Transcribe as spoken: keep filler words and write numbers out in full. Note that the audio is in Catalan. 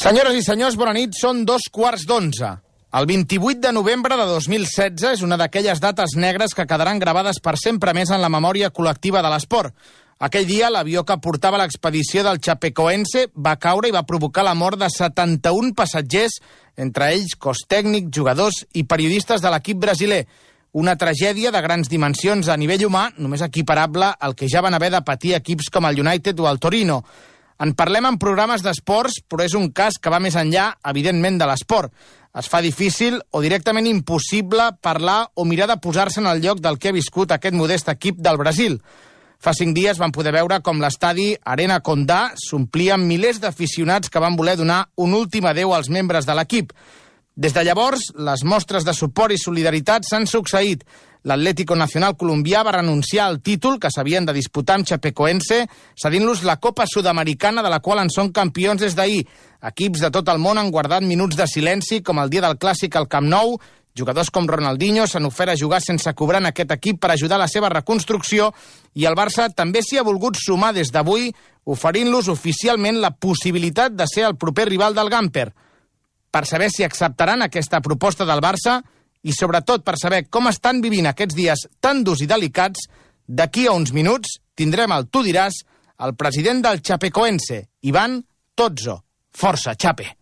Senyores i senyors, bona nit. Són dos quarts d'onze. El vint-i-vuit de novembre de dos mil setze és una d'aquelles dates negres que quedaran gravades per sempre més en la memòria col·lectiva de l'esport. Aquell dia, l'avió que portava l'expedició del Chapecoense va caure i va provocar la mort de setanta-un passatgers, entre ells cos tècnic, jugadors i periodistes de l'equip brasiler. Una tragèdia de grans dimensions a nivell humà, només equiparable al que ja van haver de patir equips com el United o el Torino. En parlem en programes d'esports, però és un cas que va més enllà, evidentment, de l'esport. Es fa difícil o directament impossible parlar o mirar de posar-se en el lloc del que ha viscut aquest modest equip del Brasil. Fa cinc dies vam poder veure com l'estadi Arena Condá s'omplia amb milers d'aficionats que van voler donar un últim adeu als membres de l'equip. Des de llavors, les mostres de suport i solidaritat s'han succeït. L'Atlético Nacional colombià va renunciar al títol que s'havien de disputar amb Chapecoense, cedint-los la Copa Sud-americana de la qual en són campions des d'ahir. Equips de tot el món han guardat minuts de silenci, com el dia del Clàssic al Camp Nou. Jugadors com Ronaldinho s'han ofert a jugar sense cobrar en aquest equip per ajudar a la seva reconstrucció, i el Barça també s'hi ha volgut sumar des d'avui, oferint-los oficialment la possibilitat de ser el proper rival del Gamper. Per saber si acceptaran aquesta proposta del Barça i, sobretot, per saber com estan vivint aquests dies tan durs i delicats, d'aquí a uns minuts tindrem el Tu diràs, el president del Chapecoense, Iván Tozzo. Força, Chape!